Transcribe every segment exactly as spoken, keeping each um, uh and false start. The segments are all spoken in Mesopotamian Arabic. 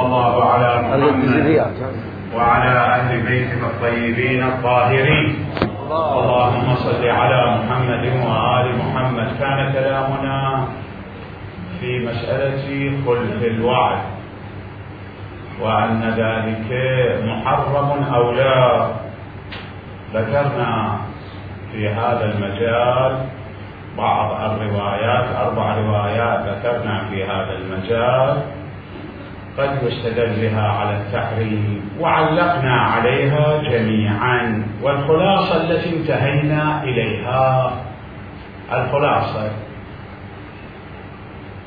صلى الله على محمد وعلى أهل بيته الطيبين الطاهرين. اللهم صل على محمد وآل محمد. كان كلامنا في مسألة خلف الوعد وأن ذلك محرم أو لا. ذكرنا في هذا المجال بعض الروايات، أربع روايات ذكرنا في هذا المجال قد يستدل بها على التحريم، وعلقنا عليها جميعا. والخلاصة التي انتهينا إليها، الخلاصة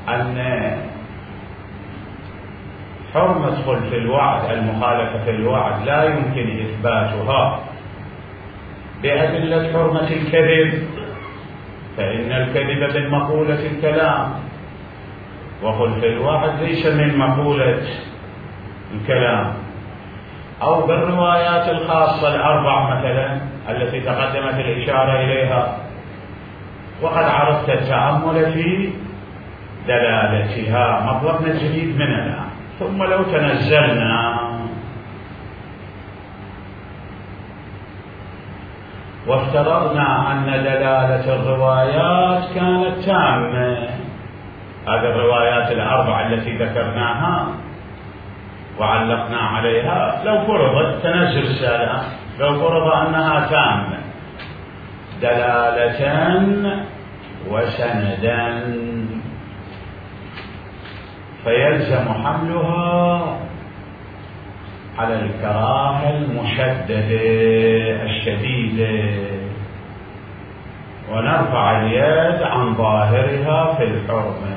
أن حرمة خلف الوعد، المخالفة الوعد، لا يمكن إثباتها بأدلة حرمة الكذب، فإن الكذب من مقولة الكلام، وخلف الوعد ليس من مقولة الكلام. أو بالروايات الخاصة الأربع مثلا التي تقدمت الإشارة إليها، وقد عرفت التأمل في دلالتها. مطلبنا الجديد من الآن، ثم لو تنزلنا وافترضنا أن دلالة الروايات كانت تامة، هذه الروايات الأربع التي ذكرناها وعلقنا عليها، لو فرضت تنزل السالة، لو فرض أنها تامة دلالة وسندا، فيلزم حملها على الكراهة المشددة الشديدة، ونرفع اليد عن ظاهرها في الحرمة.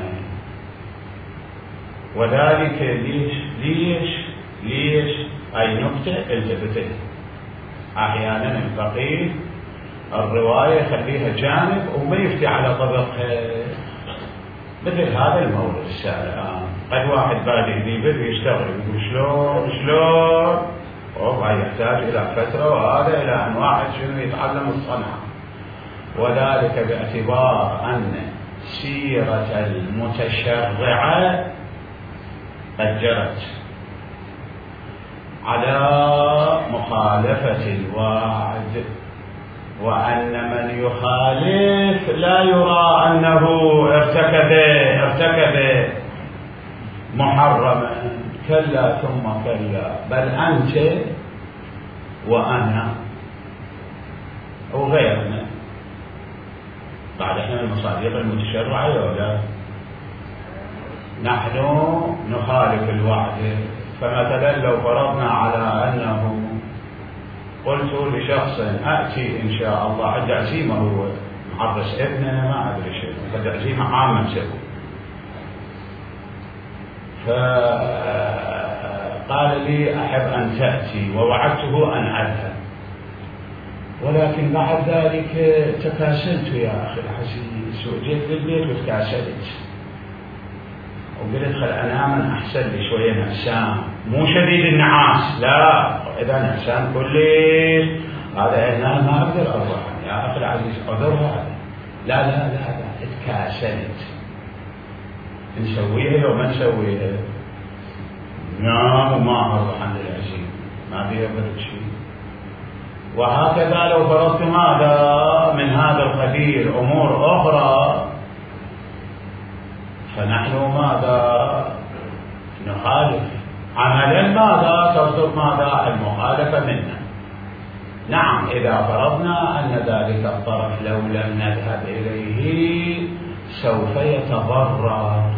وذلك ليش ليش ليش أي نقطة التفتت. أحيانا الفقيه الرواية يخليها جانب وما يفتي على طبقها، مثل هذا المورد السابق. قد واحد بادئ يبدأ يشتغل يقول شلون شلون والله يحتاج إلى فترة، وهذا إلى أن واحد شنو يتعلم الصنعة. وذلك باعتبار أن سيرة المتشرعة قد جرت على مخالفة الوعد، وأن من يخالف لا يرى أنه ارتكب ارتكب محرما. كلا ثم كلا، بل أنت وأنا وغيرنا بعد احنا المصادق المتشرعة ولا نحن نخالف الوعد. فمثلا لو فرضنا على أنه قلت لشخص أأتي إن شاء الله عند عزيمة، هو محرس ابننا ما أدري شيء، عند عزيمة عامة سوي، فقال لي أحب أن تأتي، ووعدته أن أذهب، ولكن بعد ذلك تكاسلت يا أخي العزيز، وجيت للبيت وتكاسلت وقلت خل أنام أحسن لي شوية نعسان، مو شديد النعاس لا، إذا نعسان كلش هذا هنا ما أقدر أروح يا أخي العزيز، أقدر هذا لا لا لا لا اتكاسلت. نسويها لو ما نسويها؟ نعم وما أروح عند العزيز، ما فيها برد شيء. وهكذا لو فرضت ماذا من هذا القبيل أمور أخرى، فنحن ماذا نخالف عملا، ماذا تصدر ماذا المخالفة منا. نعم إذا فرضنا أن ذلك الطرف لو لم نذهب إليه سوف يتضرر،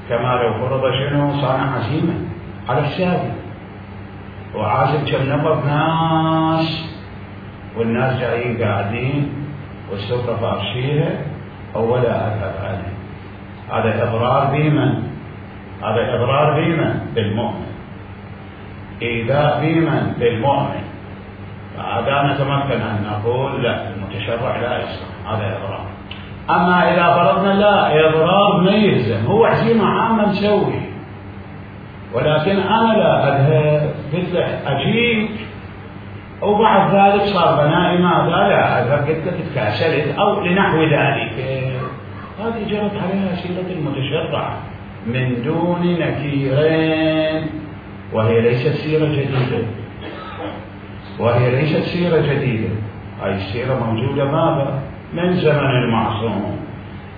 كما لو فرض شنو صانع عزيمة على الشاهد وعازم كم نفر ناس، والناس جايين قاعدين والسفرة فارشيها، أولا أذهب أنا، هذا إضرار بمن؟ هذا إضرار بمن؟ بالمؤمن، إيذاء بمن؟ بالمؤمن. فهذا نتمكن أن نقول لا، المتشرع لا يصلح، هذا إضرار. أما إذا فرضنا لا، إضرار ما يلزم، هو عزيمة عامة مسوي، ولكن أنا لا أذهب، قلت له أجيك، وبعد ذلك صار بنائي ماذا لا أذهب، قلت له تكاسلت أو لنحو ذلك. هذه جرت عليها سيرة المتشرع من دون نكيرين، وهي ليست سيرة جديدة، وهي ليست سيرة جديدة، هاي السيرة موجودة ماذا؟ من زمن المعصوم.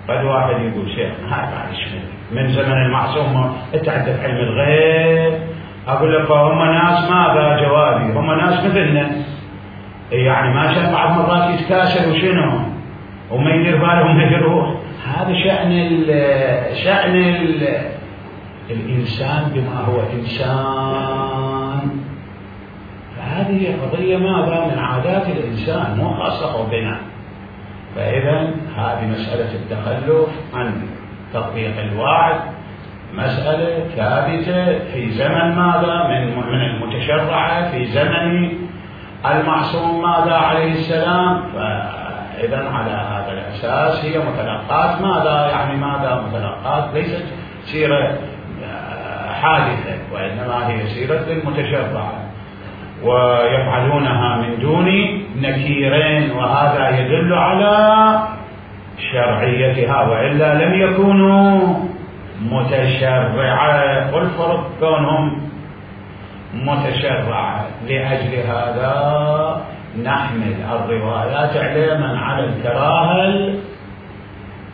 قد واحد يقول شيخ هاي بعد شنو من زمن المعصوم انت عندك علم الغيب؟ اقول لك هم ناس ماذا جوابي؟ هم ناس مثلنا، يعني ما شاء بعض مرات يتكاسل وشنو وما يدير بالهم يروح. هذا شأن ال شأن ال الإنسان بما هو إنسان. فهذه قضية ماذا؟ من عادات الإنسان، مو خاصة بنا. فإذا هذه مسألة التخلف عن تطبيق الوعد مسألة ثابتة في زمن ماذا؟ من من المتشرعة في زمن المعصوم ماذا عليه السلام. فإذا على هذا الأساس هي متلقات ماذا؟ يعني ماذا متلقات؟ ليست سيرة حادثة، وإنما هي سيرة المتشرعة، ويفعلونها من دون نكيرين، وهذا يدل على شرعيتها، وإلا لم يكونوا متشرعة. والفرق كونهم متشرعة. لأجل هذا نحمل الروايات علما على الكراهة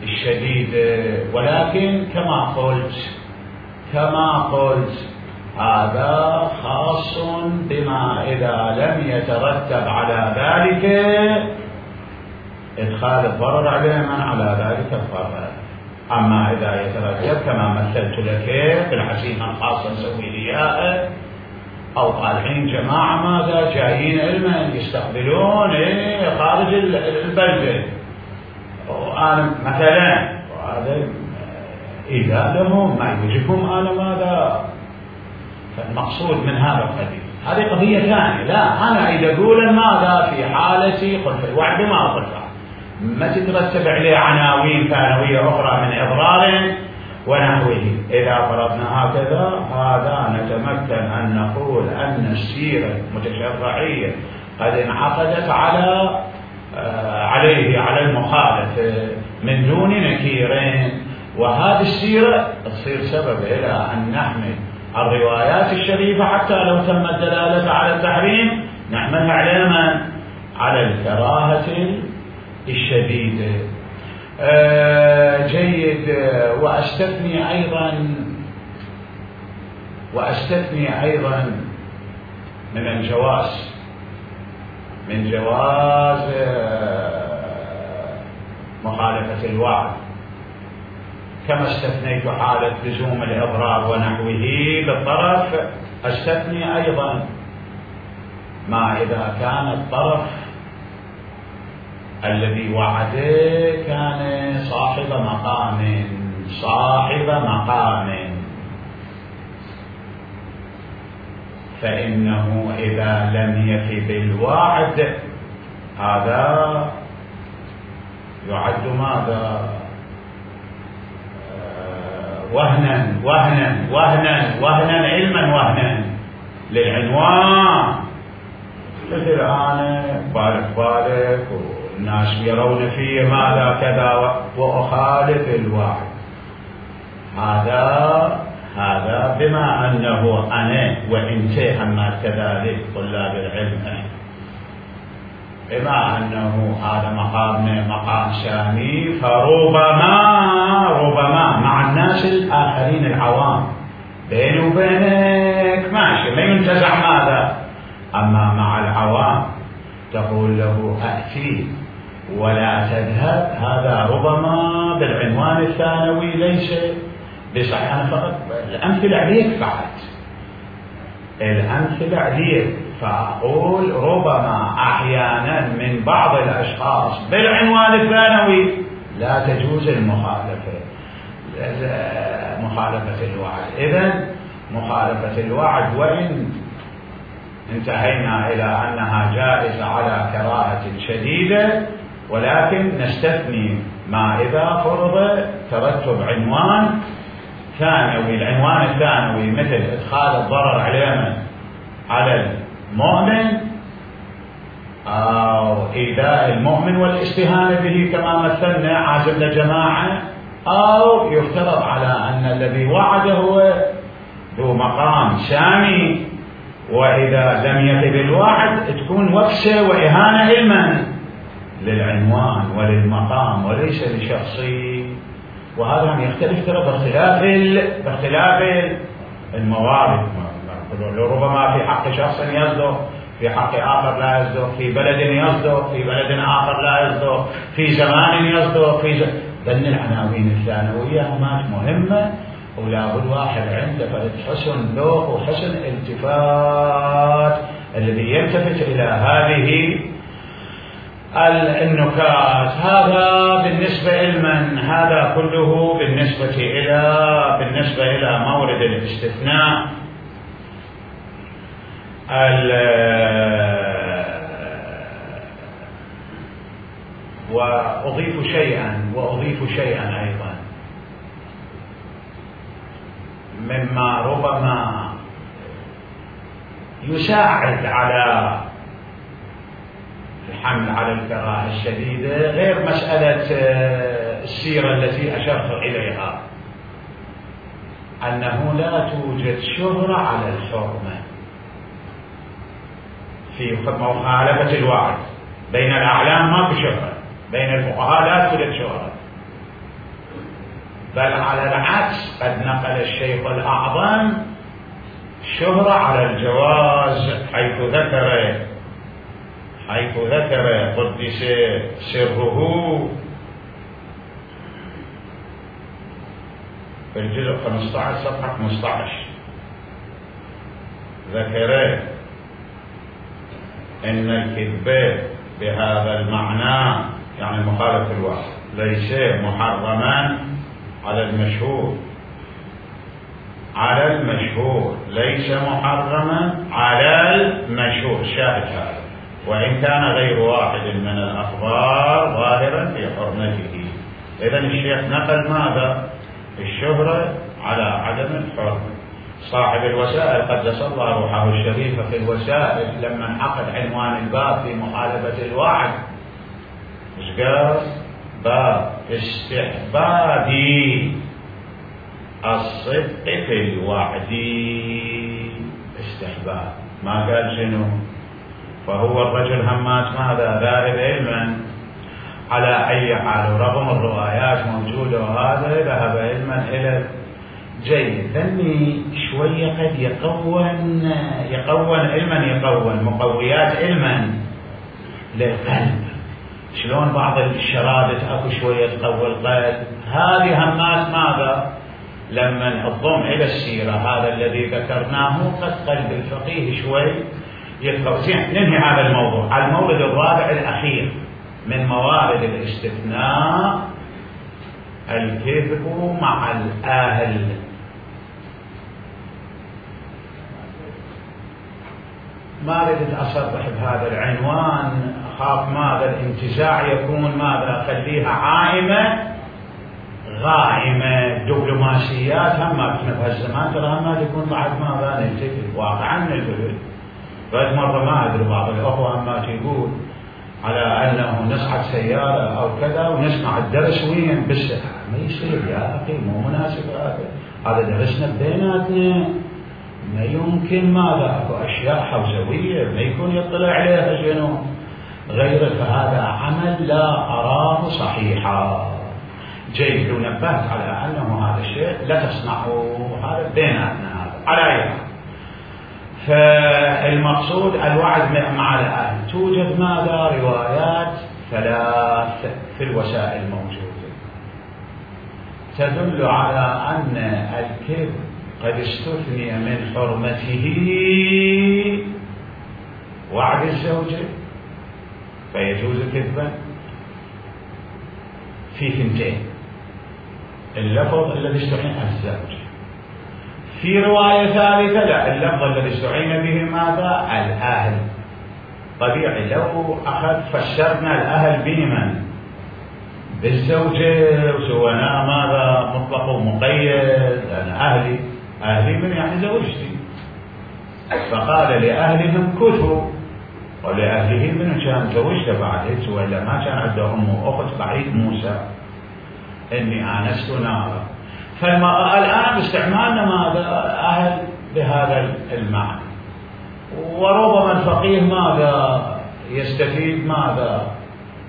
الشديدة، ولكن كما قلت كما قلت هذا خاص بما إذا لم يترتب على ذلك إدخال الضرر عليهم على ذلك الضرر. أما إذا يترتب كما مثلت لك بالعزيمة الخاصة نسوي لياء، أو طالعين جماعة ماذا جايين علما يستقبلون إيه خارج البلدة، وأنا مثلا وهذا إذا لهم ما يوجبهم أنا ماذا. فالمقصود من هذا القضية هذه قضية ثانية. لا أنا إذا أقول ماذا في حالة خلف الوعد ما خلفه ما تترتب عليه عناوين ثانوية أخرى من إضرار ونحوه. إذا فرضنا هكذا هذا نتمكن أن نقول أن السيرة المتشرعية قد انعقدت على آه عليه على المخالف من دون نكيرين، وهذه السيرة تصير سبب إلى أن نحمل الروايات الشريفة حتى لو تم الدلالة على التحريم نحملها علما على الكراهة الشديدة. آه جيد. آه وأستثني أيضا وأستثني أيضا من الجواز من جواز آه مخالفة الوعد، كما استثنيت حالة لزوم الإضرار ونحوه بالطرف، استثني أيضا ما إذا كان الطرف الذي وعده كان صاحب مقام صاحب مقام فإنه إذا لم يف بالوعد هذا يعد ماذا؟ وهنا وهنا وهنا وهنا علما وهنا للعنوان. مثل أنا بارك بارك والناس يرون في ماذا كذا وأخالف الوعد، هذا هذا بما أنه أنا وإنت أما كذلك طلاب العلم بما أنه هذا مقامنا مقام سامي، فربما ربما مع الناس الآخرين العوام بيني وبينك ماشي ما ينتزع ماذا، أما مع العوام تقول له أأتي ولا تذهب، هذا ربما بالعنوان الثانوي ليس بصحيح. أنا فقط الأمثلة عليك فقط الأمثلة عليك، فأقول ربما أحيانا من بعض الأشخاص بالعنوان الثانوي لا تجوز المخالفة مخالفة الوعد. إذن مخالفة الوعد وإن انتهينا إلى أنها جائزة على كراهة شديدة، ولكن نستثني ما إذا فرض ترتب عنوان ثانوي. العنوان الثانوي مثل إدخال الضرر علينا على المؤمن أو إيذاء المؤمن والاستهانة به كما مثلنا عازمنا جماعة أو يفترض على أن الذي وعد هو ذو مقام سامي، وإذا لم يفي الوعد تكون وكسة وإهانة علما للعنوان وللمقام وليس لشخصي. وهذا يختلف ترى باختلاف باختلاف الموارد، ربما في حق شخص يصدق، في حق آخر لا يصدق، في بلد يصدق، في بلد آخر لا يصدق، في زمان يصدق، في ز... ذن العناوين الثانوية همات مهمة، ولا بد واحد عنده حسن ذوق وحسن التفات الذي يلتفت إلى هذه النكات. هذا بالنسبة لمن، هذا كله بالنسبة إلى بالنسبة إلى مورد الاستثناء. وأضيف شيئا وأضيف شيئا أيضا مما ربما يساعد على الحمل على الكراهة الشديدة، غير مسألة السيرة التي أشرت إليها، أنه لا توجد شهرة على الحرمة في مخالفة الوعد. بين الأعلام ما في شهرة، بين الفقهاء لا توجد شهرة، بل على العكس قد نقل الشيخ الأعظم شهرة على الجواز، حيث ذكر حيث ذكر قدس سره في الجزء خمسة عشر صفحة خمسة عشر، ذكر إن الكذب بهذا المعنى يعني مخالف الوعد ليس محرما على المشهور، على المشهور ليس محرما على المشهور، شاهد هذا، وإن كان غير واحد من الأخبار ظاهرا في حرمته. إذن الشيخ نقل ماذا؟ الشهرة على عدم الحرمة. صاحب الوسائل قدس الله روحه الشريفة في الوسائل لما انعقد عنوان الباب في مخالفة الوعد ايش قال؟ باب استحباب الصدق في الوعد، استحباب، ما قال شنو؟ فهو الرجل همات ماذا؟ ذاهب علما على أي حال، رغم الروايات موجودة وهذا ذهب علما إلى جيد. ذني شوية قد يقون يقون علما، يقون مقويات علما للقلب، شلون بعض الشرادة اكو شوية تقوي القلب، هذه همات ماذا؟ لما الضم إلى السيرة هذا الذي ذكرناه قد قلب الفقيه شوي يتقوي. زين، ننهي هذا الموضوع على المورد الرابع الأخير من موارد الاستثناء، الكذب مع الأهل. ما ردت أصرح بهذا العنوان، أخاف ماذا الانتزاع يكون ماذا، خليها عائمة غائمة. دبلوماسيات هم كنا بهالزمان ترى هم تكون بعد ماذا نلتفت واقعا نلتفت. بعد مرة ما أدري بعض الأخوة هم يقول على أنه نصعد سيارة أو كذا ونسمع الدرس وين بس ما يصير يا أخي، مو مناسب هذا، هذا درسنا بيناتنا، ما يمكن ماذا أكو أشياء حوزوية ما يكون يطلع عليها شنو غيره، فهذا عمل لا أراه صحيحا. جيد، لو نبهت على أنه هذا الشيء لا تصنعه، هذا بيناتنا هذا على أي. فالمقصود الوعد مع الأهل. توجد ماذا؟ روايات ثلاث في الوسائل موجودة تدل على أن الكذب قد استثني من حرمته وعد الزوجة فيجوز كذبا في ثنتين، اللفظ الذي استعين الزوجة. في رواية ثالثة لا، اللفظ الذي استعين به ماذا؟ الأهل. طبيعي لو أخذ فسرنا الأهل بمن؟ بالزوجة، وسوينا ماذا؟ مطلق ومقيد. أنا أهلي أهلي من يعني زوجتي، فقال لأهلهم كثوا، ولأهله من كان زوجته بعد، وإلا ما كان عنده أم وأخت بعيد موسى. إني آنست نارا. فالآن باستعمالنا ماذا؟ أهل بهذا المعنى. وربما الفقيه ماذا يستفيد؟ ماذا؟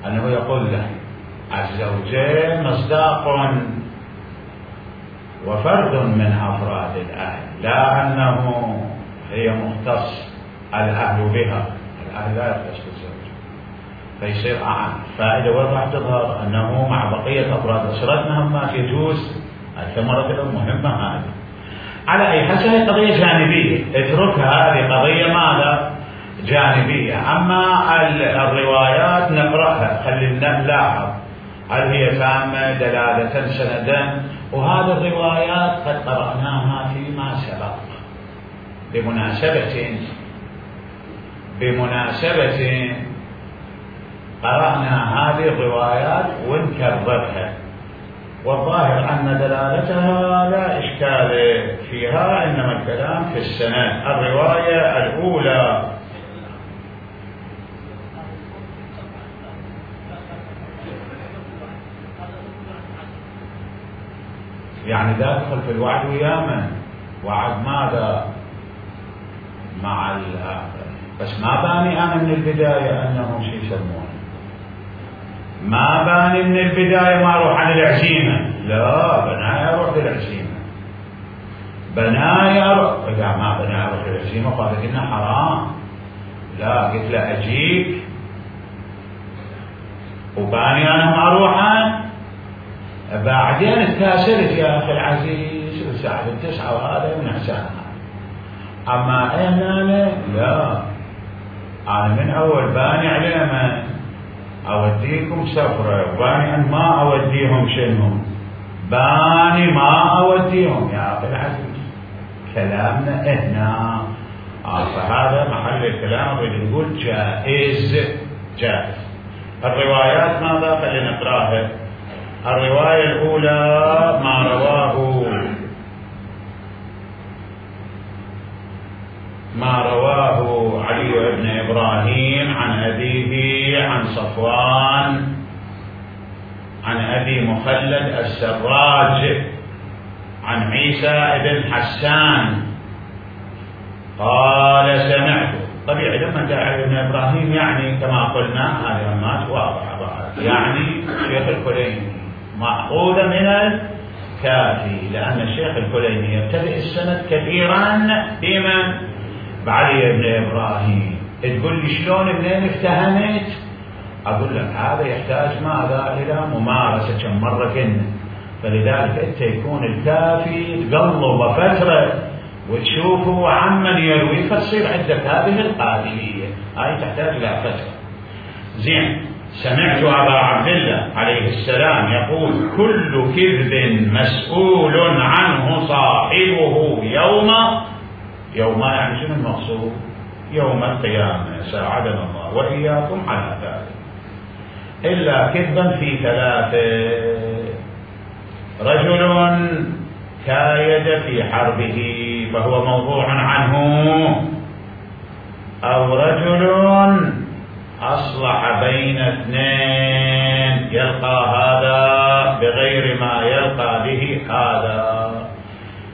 أنه يقول له الزوجين مصداق وفرد من أفراد الأهل، لا أنه هي مختص الأهل بها، الأهل لا يختص بالزوج، فيصير أعم. فائدة وين راح تظهر؟ أنه مع بقية أفراد أسرتنا ما يجوز الثمرة المهمة هذه. على أي حال هي قضية جانبية، اتركها، هذه قضية ماذا؟ جانبية. أما الروايات نقرأها، خلينا نلاحظ هل هي تامة دلالة سندا. وهذه الروايات قد قرأناها فيما سبق بمناسبة بمناسبة قرأنا هذه الروايات ونكررها، والظاهر أن دلالتها لا إشكال فيها، إنما الكلام في السند. الرواية الأولى يعني داخل في الوعد وياما، وعد ماذا؟ مع الآخر، بس ما باني أنا من البداية أنه شيء يسمونه، ما باني من البداية ما أروح عن العزيمة، لا بنايا أروح للعزيمة، بنايا أروح. إذا ما بنايا أروح للعزيمة قالت إنه حرام، لا قلت له أجيك وباني أنا ما أروح عنه. بعدين اتكاسلت يا أخي العزيز الساعة التسعة وهذا من إحسانها. أما أنا لا، أنا من أول باني عليهم أوديكم سفرة، وباني أن ما أوديهم شنو، باني ما أوديهم يا أخي العزيز. كلامنا هنا آه فهذا محل الكلام اللي نقول جائز جائز. الروايات ماذا؟ خلينا نقراها. الرواية الأولى ما رواه ما رواه علي بن إبراهيم عن أبيه عن صفوان عن أبي مخلد السراج عن عيسى بن حسان قال سمعت. طبيعي لما جاء علي بن إبراهيم يعني كما قلنا هذه ما واضحة يعني شيخ الكليني مأخوذة من الكافي، لأن الشيخ الكليني يبتدئ السند كثيرا بمن؟ بعلي بن إبراهيم. تقول لي شلون منين افتهمت؟ أقول لك هذا يحتاج ماذا؟ إلى ممارسة. كم مرة كنا، فلذلك أنت يكون الكافي تقلب فترة وتشوفه عمن يروي فتصير عندك هذه القابلية، هاي تحتاج إلى فترة. زين. سمعت أبا عبد الله عليه السلام يقول كل كذب مسؤول عنه صاحبه يوم يوم يعني شنو المقصود؟ يوم القيامة، ساعدنا الله وإياكم على ذلك. إلا كذبا في ثلاثة: رجل كايد في حربه فهو موضوع عنه، أو رجل أصلح بين اثنين يلقى هذا بغير ما يلقى به هذا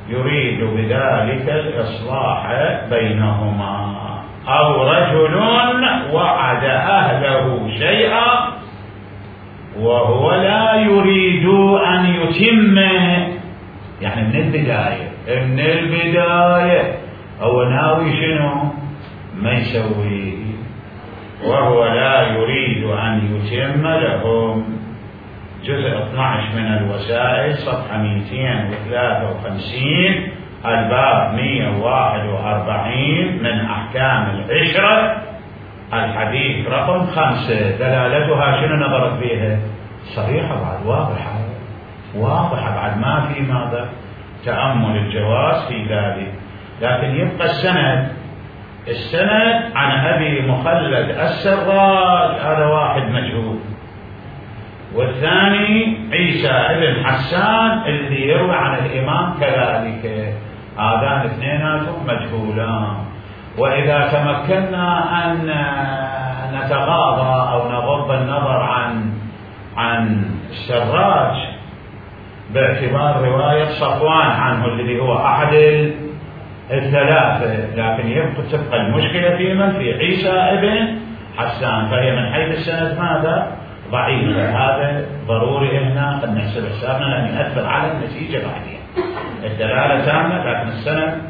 يريد بذلك الإصلاح بينهما، أو رجل وعد أهله شيئا وهو لا يريد أن يتمه، يعني من البداية من البداية هو ناوي شنو ما يسوي، وهو لا يريد أن يتم لهم. جزء اثني عشر من الوسائل صفحة مئتين وثلاثة وخمسين الباب مئة وواحد وأربعين من أحكام العشرة الحديث رقم خمسة. دلالتها شنو نظرت بها؟ صريحة بعد، واضحة واضحة بعد، ما في ماذا تأمل الجواز في ذلك. لكن يبقى السند السند عن أبي مخلد السراج، هذا واحد مجهول، والثاني عيسى بن حسان الذي يروي عن الإمام كذلك، هذان اثنيناتهم مجهولان. وإذا تمكنا أن نتغاضى أو نغض النظر عن عن السراج باعتبار رواية صفوان عنه الذي هو أحد الثلاثة، لكن يبقى تبقى المشكلة في من؟ في عيسى ابن حسان، فهي من حيث السند ماذا؟ ضعيفة. هذا ضروري هنا قد نحسب حسابنا لأن يؤثر على النتيجة بعدين. الدلالة تامة لكن السند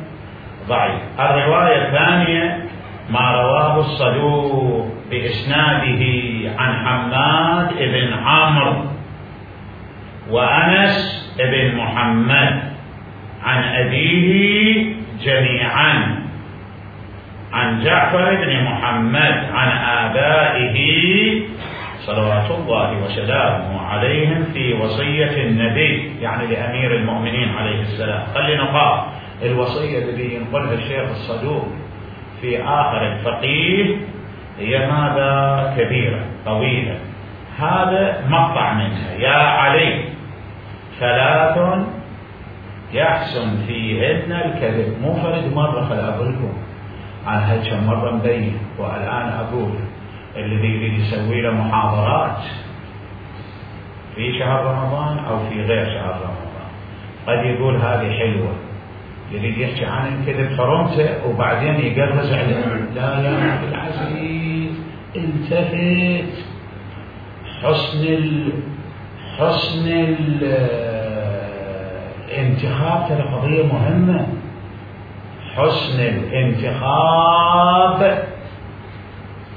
ضعيف. الرواية الثانية ما رواه الصدوق بإسناده عن حماد بن عمرو وأنس بن محمد عن أبيه جميعا عن جعفر بن محمد عن آبائه صلوات الله وسلامه عليهم في وصية النبي، يعني لأمير المؤمنين عليه السلام. خلينا نقال الوصية التي ينقلها الشيخ الصدوق في آخر الفقيه هي ماذا؟ كبيرة طويلة. هذا مقطع منها: يا علي ثلاث يحسن فيهن الكذب. مو فرد مرة، خل أقولكم أنا هيك مرة مبين، والآن أقول الذي يريد يسوي له محاضرات في شهر رمضان أو في غير شهر رمضان قد يقول هذه حلوة، يريد يحكي عن الكذب حرمته وبعدين يقرز عليه. لا يا عبد العزيز التفت، حسن ال حسن الانتخاب ترى قضية مهمة. حسن الانتخاب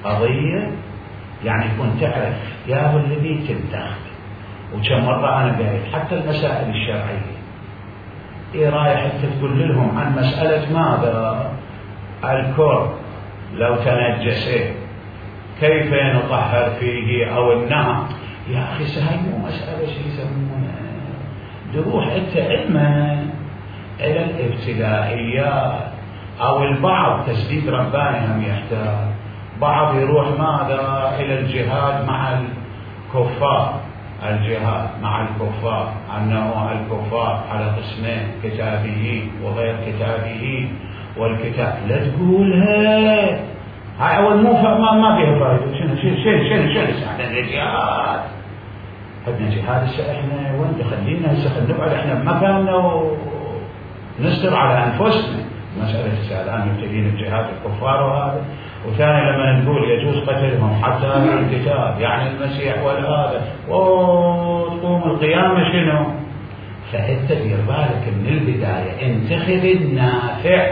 قضية يعني تكون تعرف يا هو الذي تنتخب. وكم مرة أنا قايل حتى المسائل الشرعية إيه رايح أنت تقول لهم عن مسألة ماذا؟ الكر لو تنجس كيف نطهر فيه أو النهر؟ يا أخي سهل، مو مسألة شيء يسمونه تروح أنت علما إلى الابتدائيات أو البعض تسديد رباني هم يحتاج، بعض يروح ماذا؟ إلى الجهاد مع الكفار. الجهاد مع الكفار أنه الكفار على قسمين: كتابيين وغير كتابيين. والكتاب لا تقولها هاي أول مو ما ما فيها فائدة. شنو شنو شنو شنو شنو عندنا الجهاد؟ عندنا جهاد هسه احنا وين خلينا هسه نقعد احنا بمكاننا ونستر على أنفسنا. مسألة هسه الآن يبتدين الجهاد الكفار وهذا، وثاني لما نقول يجوز قتلهم حتى الكتاب يعني المسيح والهذا وتقوم القيامة شنو؟ فأنت دير بالك من البداية، انتخب النافع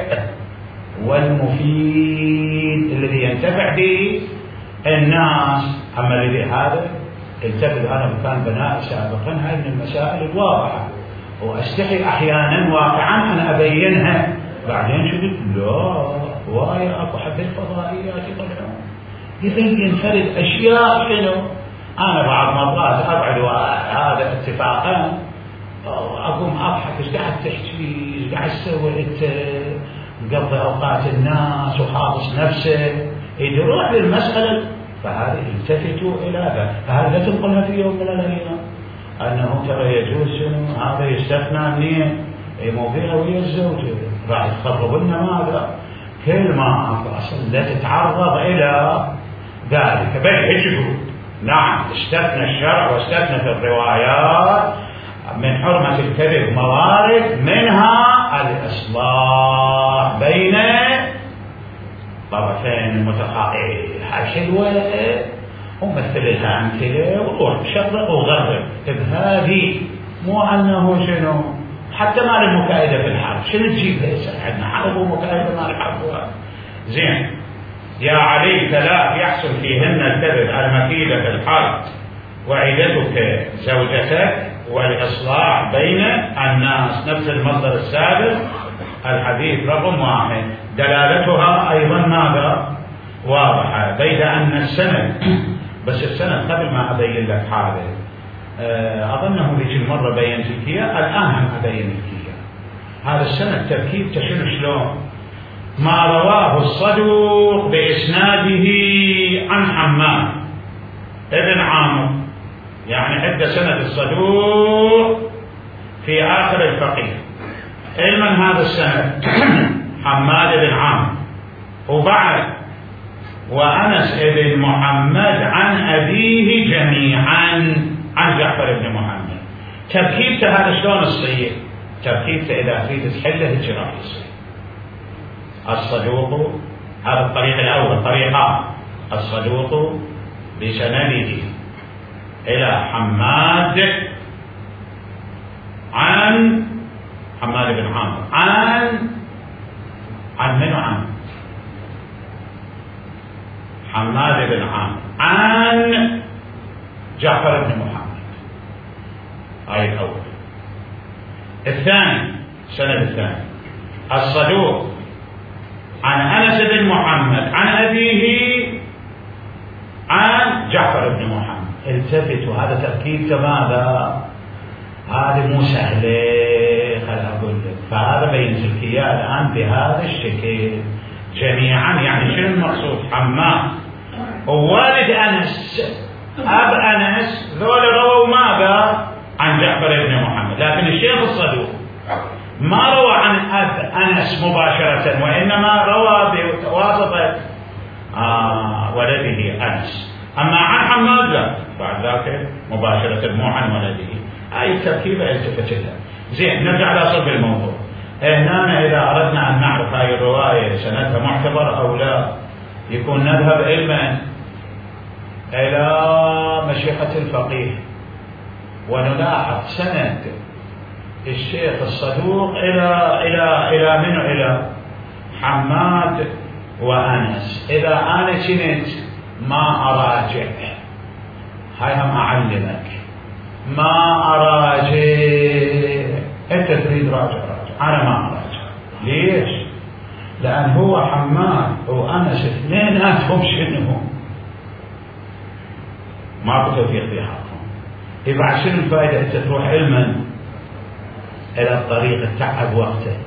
والمفيد الذي ينتفع به الناس. أما الذي هذا التفت أنا مكان بناء سابقا، هاي من المسائل الواضحة وأستحي أحيانا واقعا أنا أبينها بعدين شو قلت؟ لا واي اكو حتى الفضائيات يطلعون يبين فرد اشياء شنو. انا بعض مرات ابعد هذا اتفاقا اقوم اضحك ايش قاعد تحكي؟ ايش قاعد تسوي انت؟ مقضي اوقات الناس وحافظ نفسك يروح للمساله. فهذه التفتوا الى ذا، فهذا لا تنقلها في يوم من الايام انه ترى يجوز شنو هذا يستثنى منين؟ اي مو فيها ويا الزوجه راح تخرب لنا ماذا؟ كل ما اصلا لا تتعرض الى ذلك. بل هيك نعم استثنى الشرع واستثنت الروايات من حرمة الكذب موارد، منها الإصلاح بين طرفين متخاصمين. هاي حلوة ومثل لها أمثلة وروح شرق وغرب بهذه، مو أنه شنو حتى مال المكائدة في الحرب شنو تجيب هسه؟ عندنا حرب ومكائدة مال الحرب زين. يا علي ثلاث يحصل فيهن الكذب: المكيدة في الحرب، وعدتك زوجتك، والإصلاح بين الناس. نفس المصدر السابق الحديث رقم واحد. دلالتها أيضا ماذا؟ واضحة. بيد أن السند، بس السند قبل ما أبين لك حاجة أظنه ذيك المرة بينت لك إياه، الآن هم أبين لك إياه. هذا السند تركيب تشنو شلون؟ ما رواه الصدوق بإسناده عن حماد ابن عامر، يعني عند سند الصدوق في آخر الفقيه. علما هذا السند حماد بن عامر، وبعد وأنس بن محمد عن أبيه جميعا عن جعفر بن محمد. تركيبته هذا شلون تصير؟ تركيبته إذا تريد تحله هيك راح يصير. الصدوق هذا الطريق الأول، طريقان: الصدوق بسنده إلى حماد عن حماد بن عامر عن عن من عن حماد بن عامر عن جعفر بن محمد. هاي الأول. الثاني السند الثاني: الصدوق عن أنس بن محمد عن أبيه عن جعفر بن محمد. التفتوا، هذا تركيبته ماذا؟ هذه مو سهلة، خل أقول لك. فهذا بينزل لك إياه الآن بهذا الشكل جميعا. يعني شنو المقصود؟ حماد ووالد أنس أب أنس ذول رووا ماذا؟ عن جعفر بن محمد. لكن الشيخ الصدوق ما روى عن أب أنس مباشرة، وإنما روى بواسطة آه ولده أنس. أما عن حماد لا، بعد ذاك مباشرة مو عن ولده. هاي التركيبة التفت لها. زين، نرجع لأصل الموضوع. هنا إذا أردنا أن نعرف هاي الرواية سندها معتبر أو لا، يكون نذهب علما إلى مشيخة الفقيه ونلاحظ سند الشيخ الصدوق إلى إلى إلى من إلى حماد وأنس. إذا أنا كنت ما أراجع، هاي هم أعلمك، ما أراجع. أنت تريد راجع راجع، أنا ما أراجع. ليش؟ لأن هو حماد وأنس اثنيناتهم شنو؟ ماكو توفيق في حقهم. يبقى شنو الفائدة أنت تروح علما إلى الطريق تتعب وقتك؟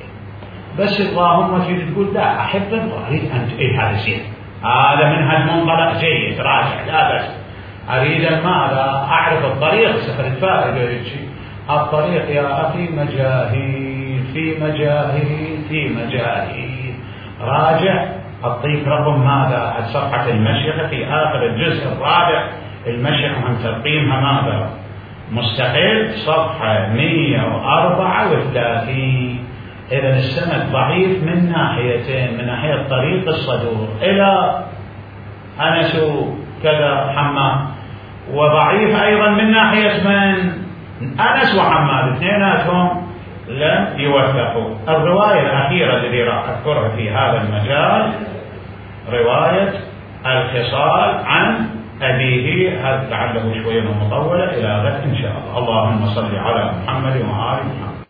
بس اللهم تريد تقول لا أحب أريد أن إيه هذا زين، هذا منهج منطلق جيد، راجع لا بس أريد ماذا؟ أعرف الطريق، سفر الفائدة. الطريق يا أخي مجاهيل في مجاهيل في مجاهيل. راجع أعطيك رقم ماذا؟ صفحة المشيخة في آخر الجزء الرابع، المشيخة عن ترقيمها ماذا؟ مستقل، صفحة مئة وأربعة وثلاثين. إذا السند ضعيف من ناحيتين: من ناحية طريق الصدوق إلى أنس كذا حماد، وضعيف أيضا من ناحية من؟ أنس وحماد، اثنيناتهم لم يوثقوا. الرواية الأخيرة التي راح أذكرها في هذا المجال رواية الخصال عن أبيه، هذا لعله شوية مطولة، إلى غد إن شاء الله. اللهم صل على محمد وآل محمد.